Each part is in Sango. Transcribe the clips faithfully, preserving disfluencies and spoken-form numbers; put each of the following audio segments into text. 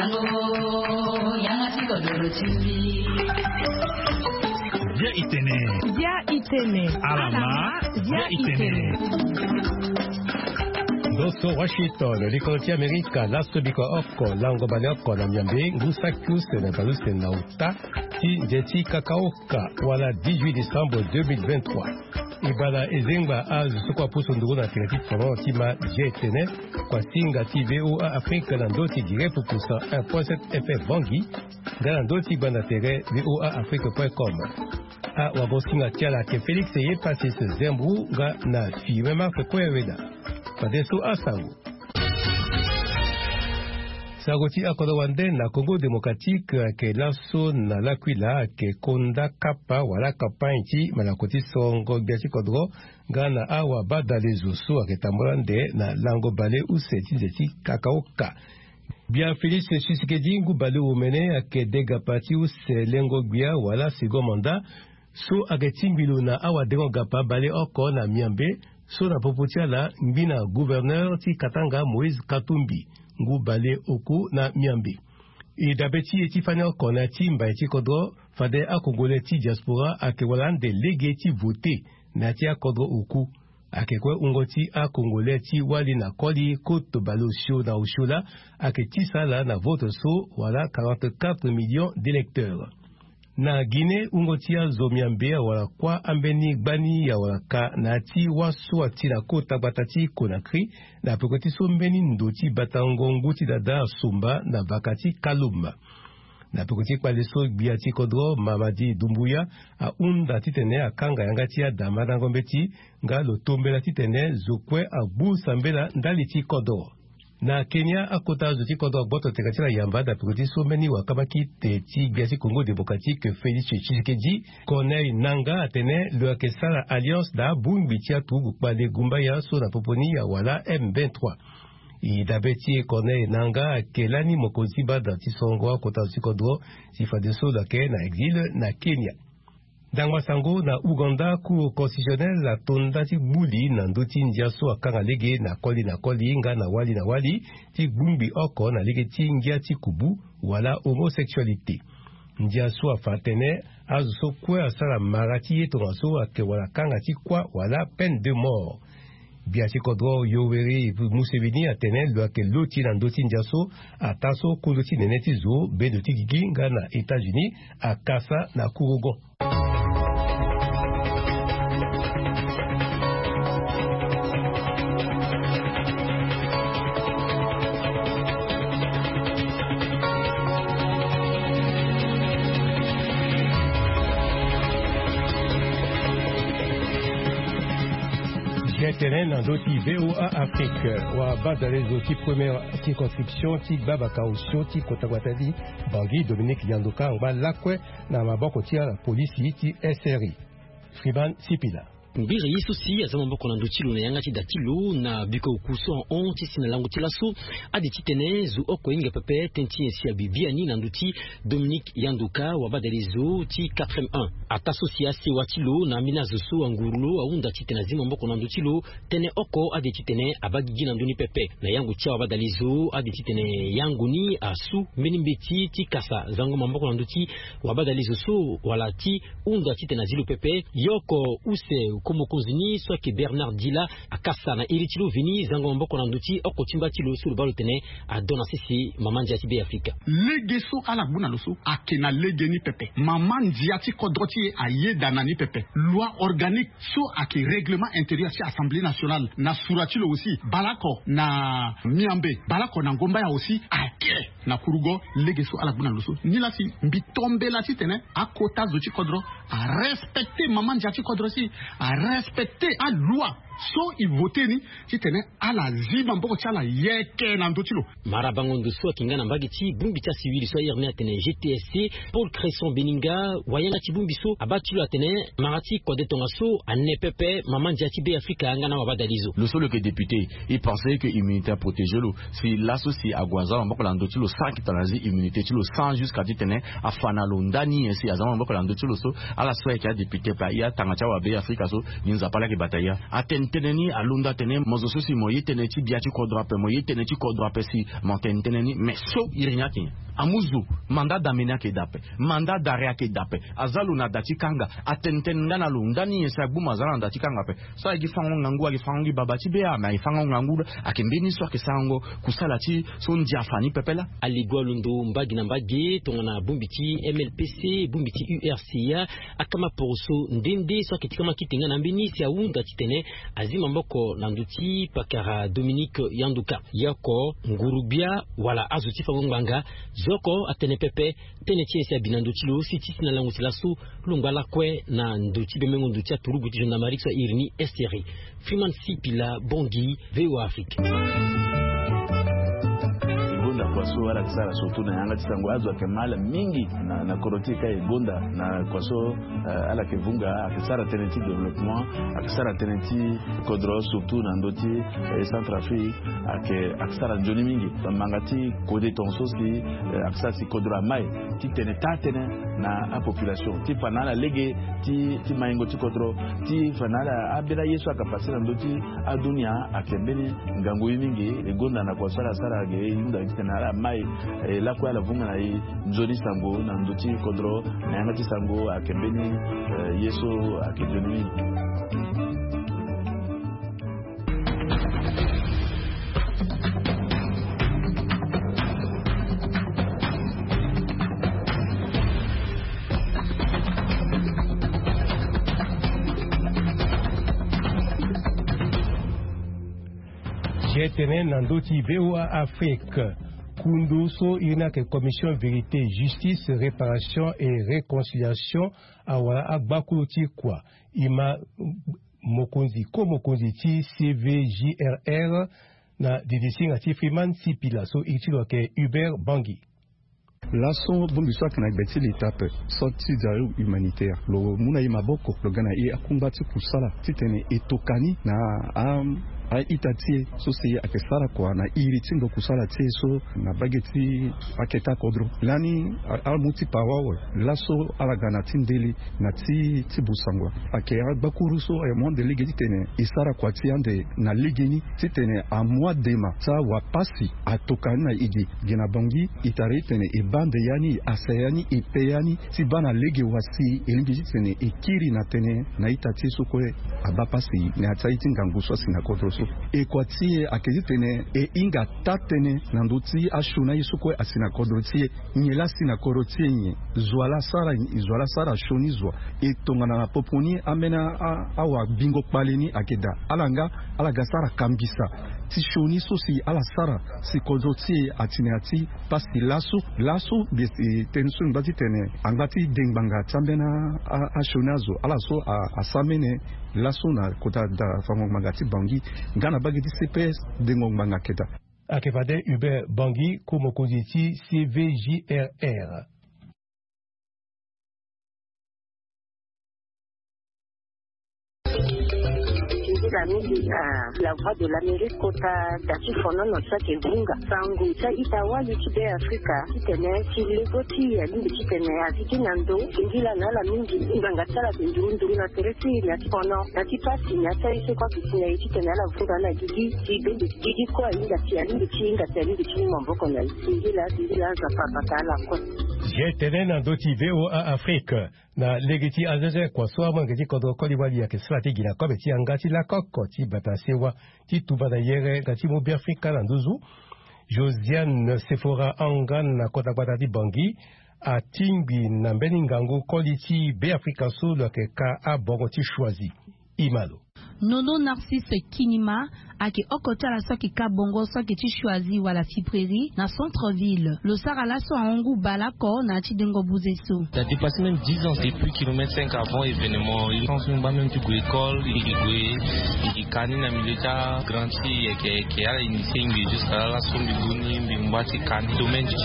Bia itene. Bia itene. Alama. Bia itene. Ndoso Washington, likolo ti Amerika, laso biko oko lango baleoko na miambe ngu saki use na baleuse na uta ti nze ti kakaoka, wala dix-huit décembre deux mille vingt-trois. Ibala ezengba azo so kua pusu nduru na tene ti toro ti ma je tene kua singa ti VOA Afrique na ndo ti direct pusa un point sept F M Bangui, nga na ndo ti gbanda tere VOA Afrique point com. Awagosinga ti ala ake Félix Yepasis Zembru nga na Firmin Marc Koyaweda. Fadeso asango. Sango ti akodro wande na Congo Démocratique ake laso na lakuila ake konda kapa wala campagne ti malako ti songo gbia ti kodro nga na awa badalezo so ake tambula nde na lango bale use ti nze ti kakaoka. Gbia Félix Tshisekedi ngu baleomene ake degapa ti use lengo gbia wala second mandat so ake tingbi lo na awadengo gapa baleoko na miambe so na popo ti ala ngbi na gouverneur ti Katanga Moïse Katumbi ngu baleoku na miambe. E dabe ti e ti fani oko na ya ti mbai ti kodro fade akongole ti diaspora ake wara ande lege ti vote na ya ti akodro oku. Ake kue wungo ti akongole ti wali na koli koto baleosio na osio laa ake tisa ala na vote so wala quarante-quatre millions d'électeurs. Na Guinée, wungo ti azo miambe awara kuâ ambeni gbani awara ka na ya ti wâ so ati na kota gbata ti Conakry na peko ti so mbeni ndo ti batango ngu ti dada asumba na vaka ti Kaloum. Na peko ti kpale so gbia ti kodro Mamadi Doumbouya ahunda titene akanga yanga ti ada mandango mbeti nga lo tombela titene zo kue agbu sambela ndali ti kodro. Na Kenya, akota zo ti kodro agboto teka ti ala yamba na peko ti so mbeni wakamba kite ti gbia ti Congo Démocratique Félix Tshisekedi, Corneille Nangaa atene lo yeke sara alliance na abongbi ti aturugu kpale gumbaya so na popo ni awala M vingt-trois. E dabe ti e Corneille Nangaa ake lani mokonzi ti bada ti songo akota zo ti kodro si fadeso lo yeke na exil na Kenya. Ndangba sango na Ouganda, Cour constitutionnelle atonda ti gbuli na ndö ti ndia so akanga lege na koli na koli nga na wali na wali ti gbungbi oko na lege ti ngia ti kubu wala homosexualité. Ndia so afa atene azo so kue asara mara ti ye tongaso ayeke wara kanga ti kuâ wala peine de mort. Gbia ti kodro Yoweri Museveni atene lo yeke loti na ndö ti ndia so ataa so kondo ti nene ti zo bendo ti gigi nga na États-Unis akasa na kurugo. Tene na ndö ti VOA Afrique, wabadalezo ti première circonscription ti gbabaka osio ti kota gbata ti Bangui, Dominique Yandoka angba lakue na maboko ti ala polisi ti S R I. Friman Sipila. Mbiri ye so si aza maboko na ndö ti lo na yanga ti da ti lo na biko oku so ahon ti si na lango ti laso, ade titene zo oko hinga pepe tënë ti nyen si abi biani na ndö ti Dominique Yandoka, wabadalezo ti quatre M un. Ataa so si asewa ti lo na ambeni azo so anguru lo ahunda titene azi maboko na ndö ti lo tënë oko, ade titene abaa gigi na ndö ni pepe. Na yango ti awabadalezo, ade titene yango ni asu mbeni mbeti ti kasa zango maboko na ndö ti wabadalezo so wala ti hunda titene azi lo pepe. Ye oko use ko mokonzi ni so ayeke Bernard Dila akasa na iri ti lo veni zango maboko na ndö ti oko ti mba ti lo so lo baa lo tene adon na sese mama ndia ti Be Afrika. Lege so ala gbu na lo so ayeke na lege ni pepe. Mama ndia ti kodro ti e ayeda na ni pepe. Loi organique so ayeke règlement intérieur ti Assemblée nationale na sura ti lo aussi, baleoko na Miambe, baleoko na Ngombaya aussi ayeke na kurugo. Lege so ala gbu na lo so, nilaa si mbi tombela titene akota zo ti kodro arespecte mama ndia ti kodro si arespecte aloi so e vote ni, titene ala zi maboko ti ala yeke na ndö ti lo. Mara bango ndo so ayeke nga na mbage ti bongbi ti asiwili so airi ni atene G T S C, Paul Cresson Beninga, wayanga ti bongbi so abaa ti lo atene mara ti kode tongaso ane pepe mama ndia ti Be Afrika nga na wabadalezo. Lo so lo yeke député, e pensé que immunité aprotégé lo. Si laso si ague aza maboko na ndö ti lo sans que tongana azi immunité ti lo sans jusqu'à titene afa na lo ndani nyen si aza maboko na ndö ti lo so, ala so ayeke adéputé pe aye atanga ti awabe Afrika so, ni Nzapa laa ayeke bata ya. Atene Tënë ni alondo atene mo zo so si mo ye tënë ti bia ti kodro ape, mo ye tënë ti kodro ape si mo tene tënë ni. Mais so iri ni ayeke nyen? Amuzu, mandat d'amener ayeke daa ape, mandat d'arrêt ayeke daa ape. Aza lo na da ti kanga, atene tënë nga na lo, ndani nyen si agbu mo aza na da ti kanga ape? So ayeke gi fango ngangu, ayeke fango gi baba ti bea, mais ayeke fango ngangu. Ayeke mbeni so ayeke sarango kusala ti so ndia afa ni pepe laa. Aligo alondo mbage na mbage tongana bongbi ti M L P C, bongbi ti U R C A, akama poroso nde nde so ayeke ti kama kite nga na ambeni si ahunda titene azi maboko na ndö ti pakara Dominique Yanduka. Ye oko nguru-gbia wala azo ti fango ngbanga, zo oko atene pepe tënë ti nyen si abi na ndö ti lo si ti si na lango ti laso lo ngba lakue na ndö ti bembengo ndö ti aturugu ti gendarmerie so airi ni Esteri. Freeman Sipila, Bangui, V O A Afrique. E gonda kua so ala yeke sara surtout na yanga ti sango, azo ayeke mal mingi na, na kodro ti e ka e gonda na kua so, eh, ala yeke vunga, ayeke sara tënë ti développement, ayeke sara tënë ti kodro surtout na ndö ti, eh, Centrafrique, ayeke, ayeke sara nzoni mingi. Manga ti kode tongaso si, eh, ayeke sara si kodro amai titene taa tënë na apopulation ti fa na ala lege ti, ti maingo ti kodro, ti fa na ala ambeni aye so ayeke pase na ndö ti adunia. Ayeke mbeni ngangu ye mingi. E gonda na kua so ala sara ge e hunda titene ala mai, eh, lakue ala vunga na e nzoni sango na ndö ti kodro na yanga ti sango. Ayeke mbeni, eh, ye so ayeke nzoni mingi. Ye tene na ndö ti V O A Afrique, kundu so iri ni ayeke Commission Vérité, Justice, Réparation et Réconciliation, awara agbakulu ti kua, e ma mokonzi, ko-mokonzi ti C V J R R, na didisinga ti Freeman Sipila so iri ti lo ayeke Hubert Bangui. Laso bongbi so ayeke na gbe ti leta ape, so ti dialogue humanitaire, lo mu na e maboko, lo ga na e akungba ti kusala titene e toka ni na a, a-ita ti e so si ayeke sara kua na iri ti ndo kusala ti e so na mbage ti akete akodro. Lani a, ala mu ti pawa wala laso ala ga na ti ndeli na ti, ti busango. Ayeke agbakuru so ayeke mu ande lege titene e sara kua ti e ande na legeni titene amu adema ti awa pasi atoka ni na e ge. Ge na Bangui, e tara titene e baa ande ya ni, e asa ya ni, e pe ya ni ti baa na lege wa si e lingbi titene e kiri na tënë na ita ti e so kue abaa pasi na ya ti aye ti ngangu so asi na kodro so. E kua ti e ayeke titene e hinga taa-tënë na ndö ti asioni aye so kue asi na kodro ti e. Nyen laa asi na kodro ti e nyen? Zo wa laa asara, zo wa laa asara asioni zo wa. E tongana na popo ni ambeni a, a, awa bingo kpale ni ayeke daa. Ala nga, ala ga sara kambisa ti sioni so si ala sara si kodro ti e ati na ya ti pasi laso. Laso, ge si tënë so e ngba titene angba ti de ngbanga ti ambeni a, a, asioni azo. Ala so a, asambene laso na kota da fango ngbanga ti Bangui nga na mbage ti C P S, dengo ngbanga ayeke daa. Ayeke fade Hubert Bangui, ko-mokonzi ti C V J R R. Singila mingi na La Voix de l'Amérique kota da ti fonono so ayeke vunga sango ti a-ita wali ti Be Afrika titene ti lego ti e alingbi titene azi gi na ndo singila na ala mingi. Ngbanga ti ala ayeke nduru nduru na tere ti e na ya ti fono na ya ti pasi na ya ti aye so kue ayeke si na e titene ala vunga na gigi ti bende gigi kue ahinga si alingbi ti hinga si alingbi ti mu maboko na e. Singila singila Nzapa abata ala kue. Ye tene na ndö ti V O A Afrique. Na lege ti azenze kua so amolenge ti kodro koli wali ayeke sara ti gi na kobe ti yanga ti lakoko ti bata sewa ti tumba na yere nga ti mu Beafrika na nduzu, Josiane Sephora Angan na kota gbata ti Bangui atingbi na mbeni ngangu koli ti Beafrika so lo yeke ka abongo ti Choisy. Imalo. Nono Narcisse Kinima ayeke oko ti ala so ayeke ka bongo so ayeke ti Choisy wala Fiprairie na centre ville. Lo sara laso ahon ngu bale oko na ya ti dengo buze so. Ça dépasse même dix ans depuis kilomètre cinq avant événement. Il pense même pas même ti gue école, il gue, il kani na milieu ta grandi, yeke yeke ala initié ngue jusqu'à la so mbi boni mbi ngba ti kani domaine ti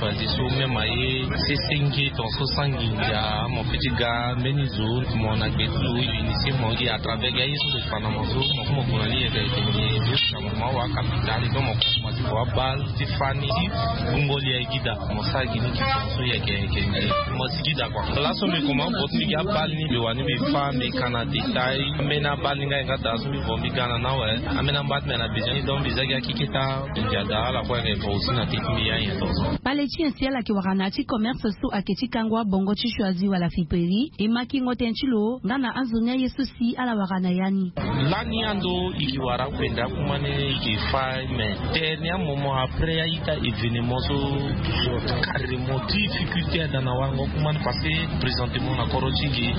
Choisy so même aye sese nge ton so sangi ndia mon petit gars mbeni zo mon na gbe ti lo initié mon gi à travers gars. Mo fa na mo so mo ku mo gue na ni yeke yeke nge. Jusqu'à moment wa capital donc mo ku mo ti vo abal ti fani ti gbungo li aye gi daa. Mo sara gi ni ti tongaso yeke yeke nge. Mo si gi daa kua. Laso mbi koma vo ti mbi gi abal ni mbi wani mbi fa mbi ka na détail. Ambeni abal ni nga ye nga daa so mbi vo mbi ga na ni awe. Ambeni amba ti mbi na besoin ni donc mbi za gi akiketa. Mbi ndia daa ala kue ayeke vo aussi na teti mbi ya nyen tongaso. Kpale ti nyen si ala yeke wara na ya ti commerce so ayeke ti kango abongo ti choisi wala fiperi? E ma kingo tënë ti lo nga na anzoni aye so si ala wara na ya ni. Lani ando e ke wara akpenda akuma ni e ke fa. Mais dernier moment après a-ita événement so carrément difficulté ada na warango akuma ni parce que présentement na kodro ti e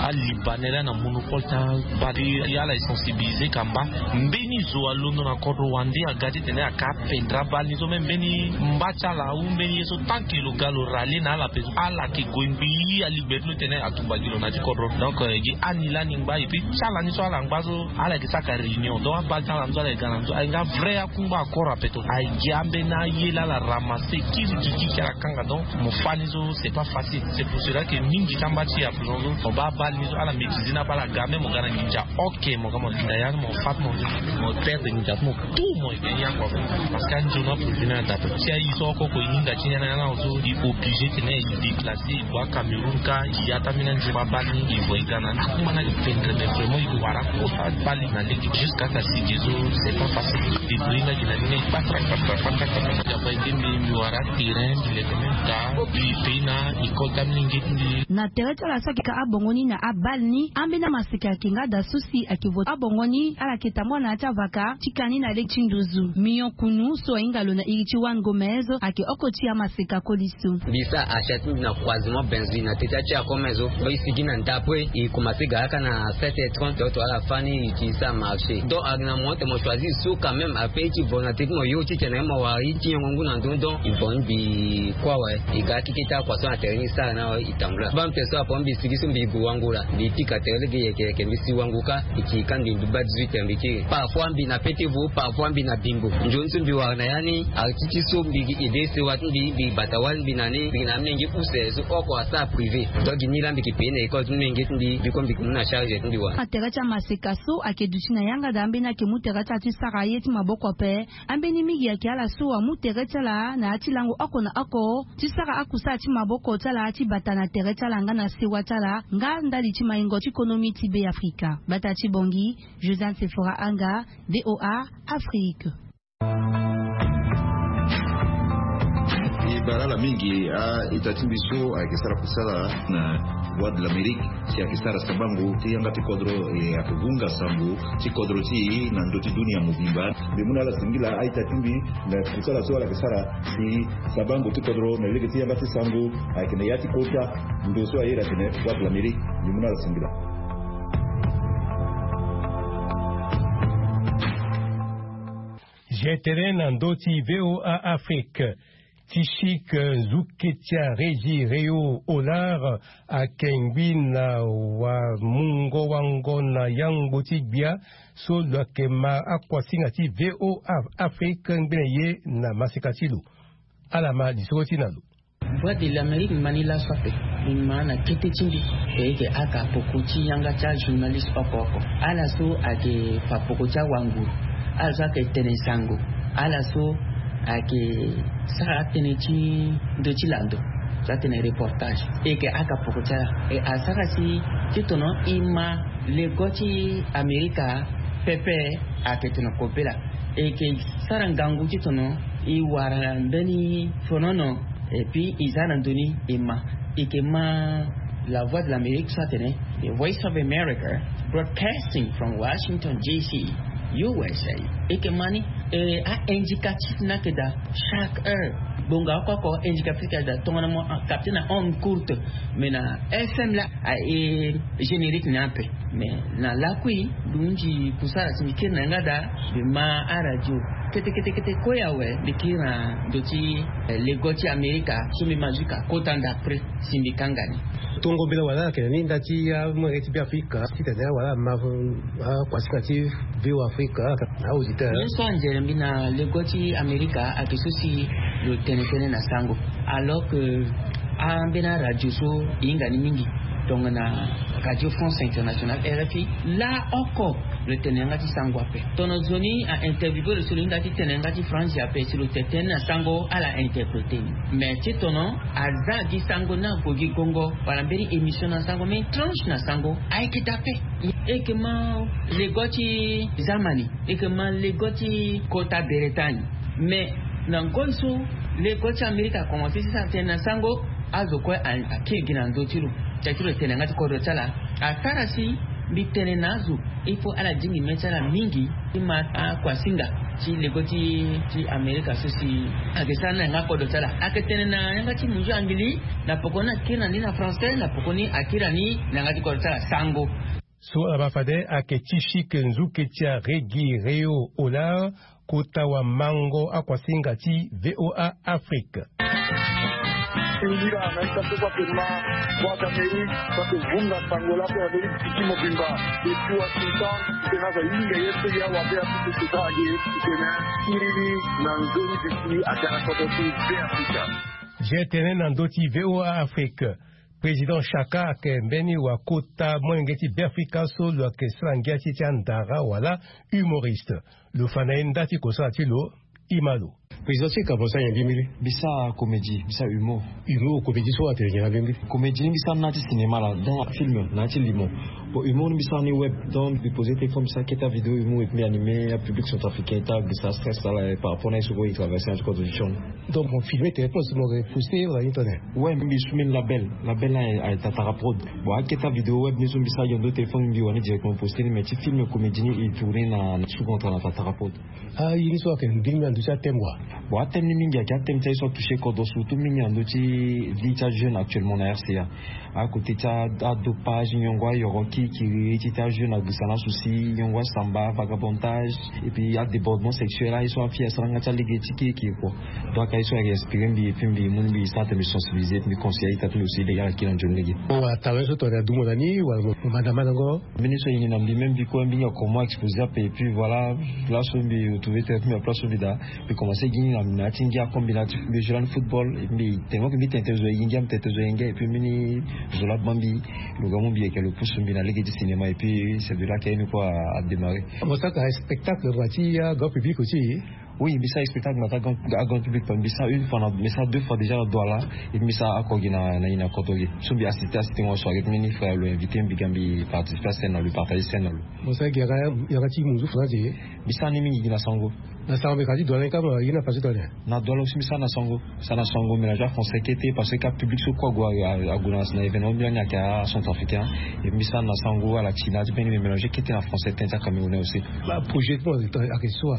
alibanais laa na monopole ti abal. Ala e sensibiliser kamba. Mbeni zo alondo na kodro wande aga ti tene aka apendre abal ni so même mbeni mba ti ala ou mbeni ye so tant que lo ga lo rallier na ala pe so ala yeke gue ngbii aligberi ti lo ti tene atumba gi lo na ya ti kodro. Donc gi ani lani ngba et puis ti ala ni so ala ngba so ala yeke saka réunion donc abal ti ala ni so ala yeke ga na ni so aye nga vrai akungba accord ape to aye gi ambeni aye laa ala ramasser kiri gi kiki ala kanga donc mo fa ni so c'est pas facile. C'est pour cela que mingi ti amba ti e à présent so mo baa abal ni so ala maîtriser ni ape ala ga même mo ga na nginza. Ok mo ga mo linda ya ni mo fa ti mo mo perdre nginza ti mo. Tout mo yeke ya kua. Parce que anzoni aprojet ni ada ti aye so oko ko e hinga ti ni ana ya na so e obligé tene e déplacer e gue acameroun ka e ya ti ambeni anzoni abal ni e vo e ga na ni akuma ni ayeke pendre mais vraiment e wara kota abal ni na lege jusqu'à ta si gi so c'est pas facile. Débrouiller nga gi na ni e kpatra kpatra kpatra kpatra. Daba e ge mbi mbi wara terrain mbi leke même ta mbi pei na école ti amolenge ti mbi. Na tere ti ala so ayeke ka abongo ni na abal ni ambeni amaseka ayeke nga daa so si ayeke vo abongo ni ala yeke tambula na ya ti avaka ti ka ni na lege ti nduzu. Mignon kunu so ahinga lo na iri ti Juan Gomez ayeke oko ti amaseka koli so. Mbi sara achat ti mbi na croisement Benzui na teti ti akomezo. Mbi sigi na ndapue e commencer ga kâ na sept heures trente donc to ala fani e ti sara marché donc ayeke na mo ti mo choisir so quand même après ti vo na teti mo yo ti tene mo wara ye ti nyongo ngu na ndö donc e vo ni mbi kue awe. E ga keke ti akua so na tere ni e sara ni awe e tambula baa mpe so apo mbi sigi so mbi gue wango laa mbi pika tere lege yeke yeke mbi si wango kâ. E ti kâ mbi mbi baa dix-huit heures mbi kiri parfois mbi na pete vo parfois mbi na bingo nzoni so mbi wara na ya ni. Arti ti so mbi gi aide sewa ti mbi mbi bata wali mbi na ni mbi gi na amenge use so oko asara privé. Donc gi ni laa mbi yeke payé na école ti menge ti mbi mbi kue mbi yeke mu na charge ti mbi wara. Atere ti amaseka so ayeke duti na yanga daa ambeni ayeke mu tere ti ala ti sara ye ti maboko ape. Ambeni mingi ayeke ala so amu tere ti ala na ya ti lango oko na oko ti sara akusala ti maboko ti ala ti bata na tere ti ala nga na sewa ti ala nga ndali ti maingo ti konomi ti be afrika. Bata ti bongi, Josiane Sephora Anga, VOA Afrique. E bara ala mingi a-ita ti mbi so ayeke sara kusala na Voix de l'Amérique si ayeke sara sabango ti yanga ti kodro e ayeke vunga sango ti kodro ti e na ndö ti dunia mobimba. Mbi mu na ala singila a-ita ti mbi na kusala so ala yeke sara si sabango ti kodro na lege ti yanga ti sango ayeke na ya ti kota ndo so aye atene Voix de l'Amérique. Mbi mu na ala singila. Zi tënë na ndö ti VOA Afrique. Ti chic nzuke ti arégi Réo Olar akengbi na wamungo wango na yangbo ti gbia so lo yeke ma akuasinga ti VOA Afrique ngbene ye na maseka ti lo. Ala ma lisoro ti na lo. Voix de l'Amérique mani laso ape. Mbi ma na kete ti mbi e yeke aka poko ti yanga ti ajournaliste oko oko ala so ayeke fa poko ti awanguru, ala so ayeke tene sango, ala so ayeke sara atënë ti ndö ti lando so atene reportage. E yeke aka poko ti ala e asara si ti tono e ma lego ti amerika pepe. Ayeke tono kobela e yeke sara ngangu ti tono e wara mbeni fonono. Et puis e za na ndö ni e ma e yeke ma La Voix de l'Amérique so atene The Voice of America broadcasting from Washington D C, U S A. E yeke ma ni e a-indicatif ni ayeke daa chaque heure. Gbonga oko oko indicatif ayeke daa tongana mo capte na onde courte. Mais na F M laa aye générique ni ape. Mais na lakui mbi hunzi kusara si mbi kiri na yanga daa mbi ma aradio kete kete kete kue awe. Mbi kiri na ndo ti lego ti amerika so mbi ma jusqu'à kota ndapre si mbi kanga ni. Tongo mbela wala ayeke na ni nda ti amolenge ti be afrika titene wala ama akuasinga ti be afrika. Auditeur. Ye so anzere mbi na lego ti amerika ayeke so si lo tene tënë na sango. Alors que ambeni aradio so e hinga ni mingi tongana Radio France Internationale, R F I, laa oko Lo tene yanga ti sango ape. Tono zo ni a interview pe lo so lo hinga ti tene yanga ti franzi ape si lo tene na sango ala interprete ni. Mais ti tono aza gi sango ni ague gi gongo wala mbeni émission na sango mbeni tranche na sango ayeke daa ape. Eke ma lego ti zamani, eke ma lego ti kota beretani. Mais na ngoi so lego ti amerika akomanse ti sara tënë na sango, azo kue akiri gi na ndö ti lo. Tia ti lo tene yanga ti kodro ti ala asara si mbi tene na azo. Il faut ala dingi mê ti ala mingi ti ma akuasinga ti lego ti amerika so si ayeke sara ni na yanga kodro ti ala. Ayeke tene na yanga ti munzu angili na poko ni akiri na ni na français na poko ni akiri na ni na yanga ti kodro ti ala sango. So ala baa fade ayeke ti chike nzuke ti aregi reo olar kota wamango akuasinga ti voa afrique. Singira na ita so so ake ma voix d'amérique so ake vunga sango la pe amerike ti mobimba. Depuis washington tena aza hinga ye so ya wabe apupu sota age tena. Kiriri na nzoni bisi ake na koto ti be afrika. Je tene na ndö ti voa afrique. Président chaka ake mbeni wakota molenge ti be afrika so lo ake sara ngia ti ti andara wala humoriste. Lo fa na ye nda ti kosara ti lo. Ima lo. Président ti kabo sa nyen mbi mbili? Mbi sa comédie mbi sa humour. Humour comédie so atene nyen na mbi mbili? Comédie ni mbi sa na ti cinéma la donc film na ti limo. Bon humour ni mbi sa ni web donc mbi pose téléphone mbi sa keta vidéo humour et mbi animé apublic centrafricain ta mbi sa stress ala par rapport na ye so ko i traverse na ti contribution. Donc mo filme téléphone so mo reposte wala ni tone? Ouais mbi su mbeni label. Label na aye tatara prod. Bon aketa vidéo web ni so mbi sa yondo téléphone mbi wani directement poste ni mais ti film comédie ni i tourne na sous contrat na tatara prod. Ah ye ni so ayeke ndingi na ndö ti athème wa? Bon athème ni mingi ayeke athème ti aye so atouche kodro surtout mingi na ndö ti vie ti ajeune actuellement na rca. Akote ti adopage nyongo ayoro kiri kiri ti ti ajeune agisa na souci nyongo asamba vagabondage. Et puis adébordement sexuel aye so afi asara nga ti alege ti kiri kiri kua. Donc aye so ayeke inspiré mbi et puis mbi mu ni mbi sara te mbi sensibilisé et puis mbi conseillé aita ti mbi aussi lege ala kiri na nzoni lege. Bon wala talent so tongana adumo na ni wala mo manda mandango? Mbeni so e ni na mbi même mbi kue mbi hinga comment exposé ape et puis voilà. Place so mbi retrouvé te mbi na place so mbi daa. Mbi commencé gi ni na na ya ti ngia comme mbi na ya ti mbi joue lani football. Mbi tene mo ke mbi tene te zo e gi ngia mbi tene te zo e ngia et puis mbeni zo laa baa mbi. Lo ga mu mbi yeke lo pousse mbi na lege ti cinéma et puis c'est de là ke ye ni kue adémarré. Mo saka spectacle ngba ti grand public aussi? Oui mbi sa spectacle na ta grand grand public pa mbi sa une fois na mbi sa deux fois déjà na douala. Et mbi sa ako gi na na ina koto gi so mbi assisté assisté ngo so ake ti mbeni frère lo invité mbi ga mbi participer à scène na lo partager scène na lo. Mo sa gi yanga ti munzu français? Mbi sa ni mingi gi na sango. Na sango mbi ka ti douala ni kama gi na façon douala? Na douala aussi mbi sa na sango. Sa na sango mélange français kete parce que ka public so kue ague ague na événement mbi lani ake acentrafricain. Et mbi sa na sango ala ti na ti mbeni mélange kete na français tene ti acamerounais aussi. Projet ti mo ake so?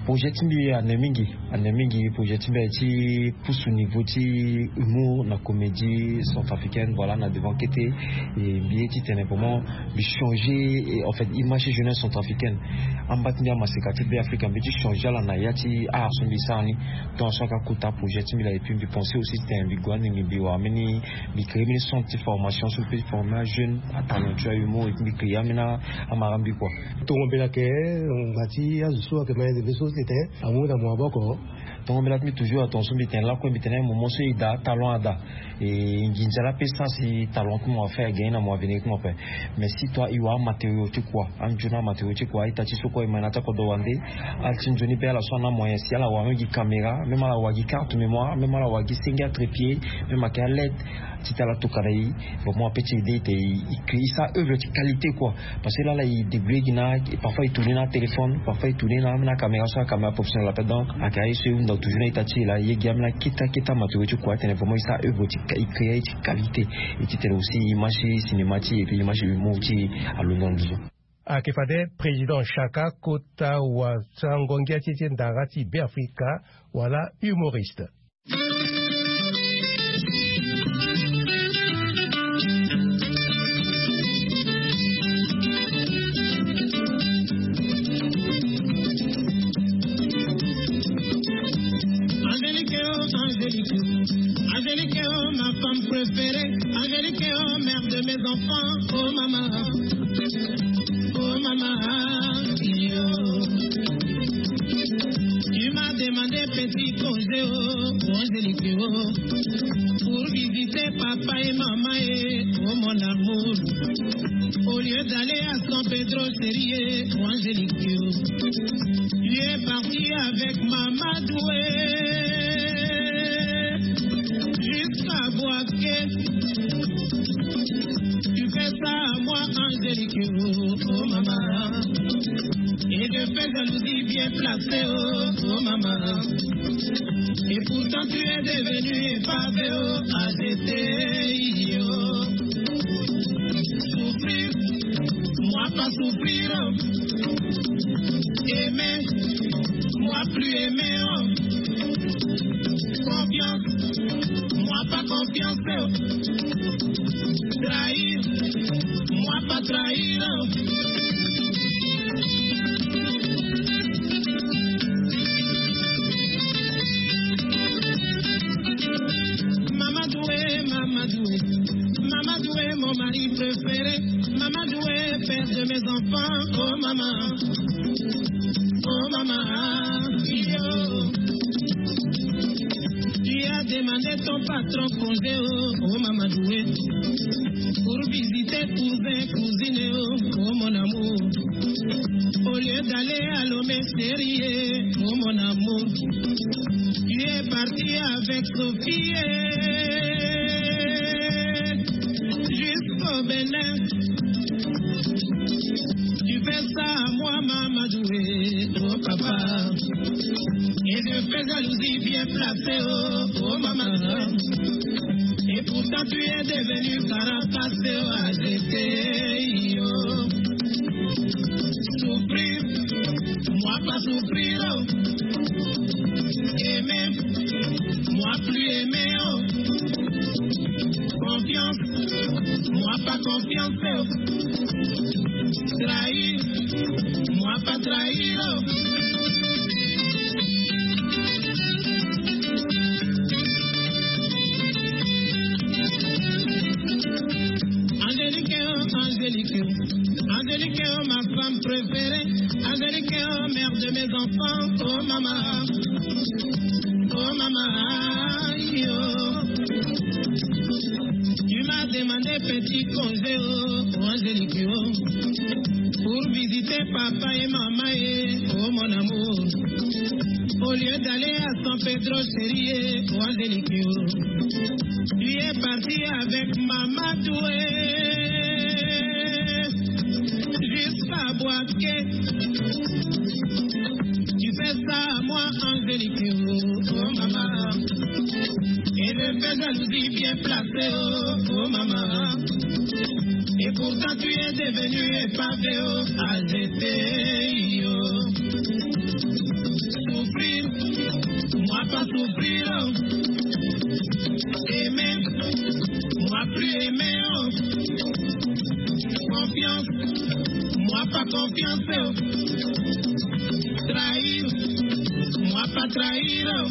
Projet ti mbi ane mingi. Ane mingi projet ti mbi aye ti pousse au niveau ti humour na comédie centrafricaine voilà na devant kete. Et mbi ye ti tene vraiment mbi changer en fait image ti jeunesse centrafricaine. Amba ti mbi amaseka ti be africa mbi ti changer ala na ya ti art so mbi sara ni. Donc so aka kota projet ti mbi la et puis mbi pensé aussi ti tene mbi gue ande mbi mbi wara mbeni mbi créer mbeni centre ti formation so mbi peut ti former ajeune atalentueux ahumour et puis mbi créer ambeni amara mbi kua. Tongo mbela ke ngba ti azo so ake ma ende mbi so ti tene amu na mo maboko. Tongo mbela ti mbi toujours atongo so mbi tene lakue mbi tene moment so e daa talon ada. E nginza la pe sa si talon ti mo afa e gagner na mo avenir ti mo ape. Mais si toi e wara amatériau ti kua anzoni amatériau ti kua aita ti so kue e ma na ti akodro wande. Ala ti nzoni be ala so ana moyen si ala wara même gi caméra même ala wara gi carte mémoire même ala wara gi senge atrépied même ayeke aled. Ti ti ala tokana e. Bon mo ape ti ede ete e créer sa œuvre ti qualité kua. Parce que lala e débrouiller gi na parfois e tourner na atéléphone parfois e tourner na ambeni acaméra so acaméra professionnel ape donc ayeke aye so e hunda toujours na ita ti e laa e ye gi ambeni akete akete amatériau ti kua atene vraiment e sa œuvre ti e créer aye ti qualité. E ti tene aussi image ti cinéma ti e et puis image ti humour ti e alondo na nduzu. Ayeke fade président chaka kota wasango ngia ti e ti ndara ti be afrika wala humoriste. Angélique, oh, Angélique, oh, Angélique, oh, ma femme préférée. Angélique, oh, mère de mes enfants. Oh, maman. Oh, maman. Oh. Tu m'as demandé petit congé, oh, Angélique, oh, pour visiter papa et maman, et, oh, mon amour. Au lieu d'aller à San Pedro, chérie, Angélique, tu es parti avec Mama Doué jusqu'à Boaké. Tu fais ça à moi, Angélique, oh, oh, maman. Et je fais jalousie bien placée, oh, oh, maman. Et pourtant tu es devenu épavé, oh, A G T I, oh. Souffrir, moi pas souffrir, oh. Aimer, moi plus aimer, oh. Confiance, moi pas confiance, oh. Trahir, moi pas trahir, oh. Mama Doué, Mama Doué, Mama Doué, mon mari préféré. Mama Doué, père de mes enfants, oh maman, oh maman, yo. Tu as demandé ton patron congé, oh, oh Mama Doué, pour visiter cousin, cousine, oh, oh mon amour. Au lieu d'aller à Lomé, chérie, oh mon amour, tu es parti avec Sophie, eh, jusqu'au Bénin. Tu fais ça à moi, Mama Doué, oh papa. Et je fais jalousie bien placée, oh, oh maman. Et pourtant tu es devenu Caracas, oh, A G T I, oh. Souffrir, moi pas souffrir, oh. Aimer, moi plus aimer, oh. Confiance, moi pas confiance, oh. Trahir, moi pas trahir, oh. Angélique, oh, Angélique, oh. Angélique, oh, ma femme préférée. Angélique, oh, mère de mes enfants, oh maman, oh maman, yo. Tu m'as demandé petit congé, oh, oh, Angélique, oh, pour visiter papa et maman, eh, oh mon amour. Au lieu d'aller à San Pedro, chérie, eh, oh, Angélique, oh, tu es parti avec Mama Doué jusqu'à Boaké. Tu fais ça à moi, Angélique, oh, oh, maman. Et je fais jalousie bien placée, oh, oh, maman. Et pourtant tu es devenu épavé, oh, A G T I, oh. Souffrir, moi pas souffrir, oh. Aimer, moi plus aimer, oh. Confiance, moi pas confiance, oh. Trahir, moi pas trahir, oh.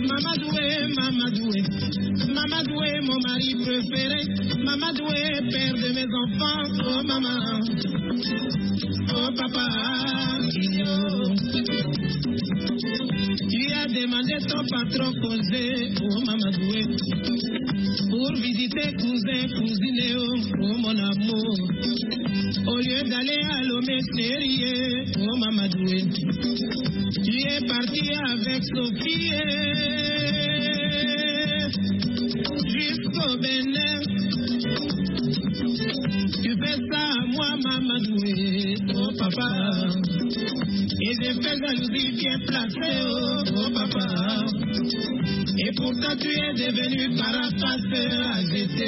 Mama Doué, Mama Doué, Mama Doué, mon mari préféré. Mama Doué, père de mes enfants, oh maman, oh papa, yo. Tu as demandé ton patron congé, oh Mama Doué, pour visiter cousin, cousine, oh, oh mon amour. Au lieu d'aller à Lomé, chérie, oh Mama Doué, tu es parti avec Sophie, eh, jusqu'au Bénin. Tu fais ça à moi, Mama Doué, oh papa. Et je fais jalousie bien placée, oh, oh papa. Et pourtant tu es devenu Caracas, A G T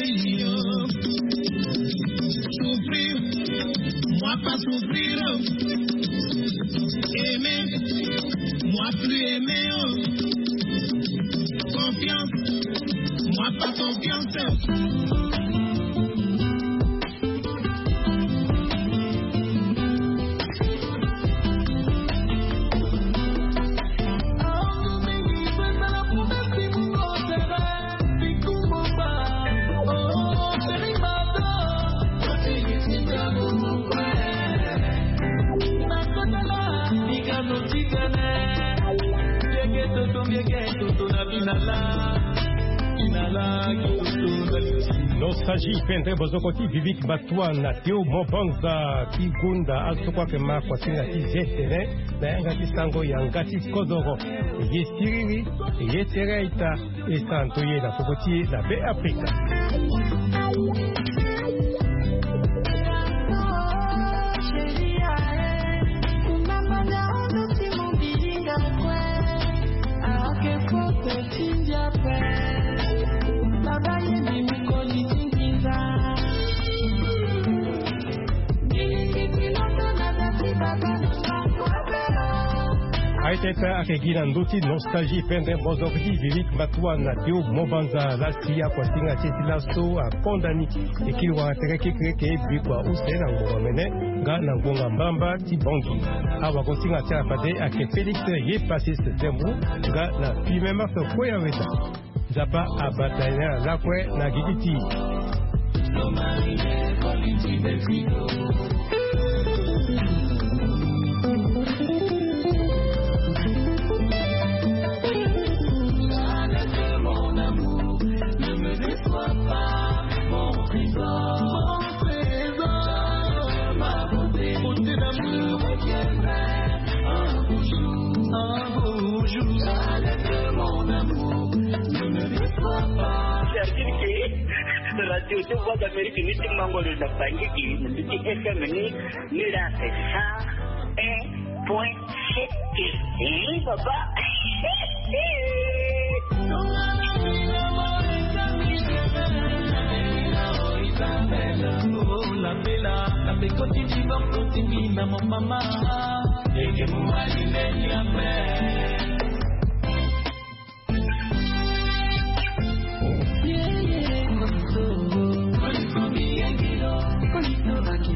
I, oh. Souffrir, moi pas souffrir, oh. Aimer, moi plus aimer, oh. Confiance, moi pas confiance, oh. Nostalgie pendre bozoko ti Vivic Batoua na Théo Mobanza ti gonda azo kue ayeke ma kuasinga ti ze tene na yanga ti sango yanga ti kodoro. Ye siriri, ye tere ita, e santo ye na popo ti e na Be Afrika. Aye tete ayeke gi na ndö ti nostalgie pendre bozoko ti Vivic Batoua na Théo Mobanza. Lasi akuasinga ti e ti laso akonda ni e kiri wara tere kekereke bikua use na ngbonga mene nga na ngbonga mbamba ti Bangui. Awagosinga ti ala fade ayeke Félix ye Pacis Zembo nga na Fimemas Koyaweda. Nzapa abata ye na ala lakue na gigi ti e. Service ke radio ti Voix d'Amérique ni ti mango lo na pangiki na mbi ti F M ni. Ni la c'est ça un point sept. Ni baba.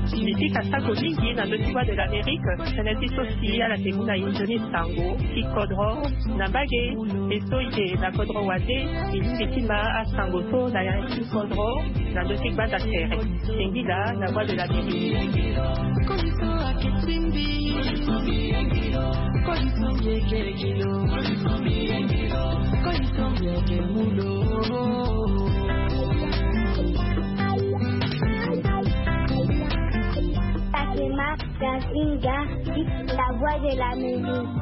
Mbi fika sako mingi na ndö ti Voix de l'Amérique, tënë ti so si ala yeke mu na e nzoni sango ti kodro na mbage. E so e yeke na kodro wande, e lingbi ti ma asango so na yanga ti kodro na ndö ti gbanda tere. Singila na Voix de l'Amérique. Fatima Kasinga, la Voix de l'Amérique.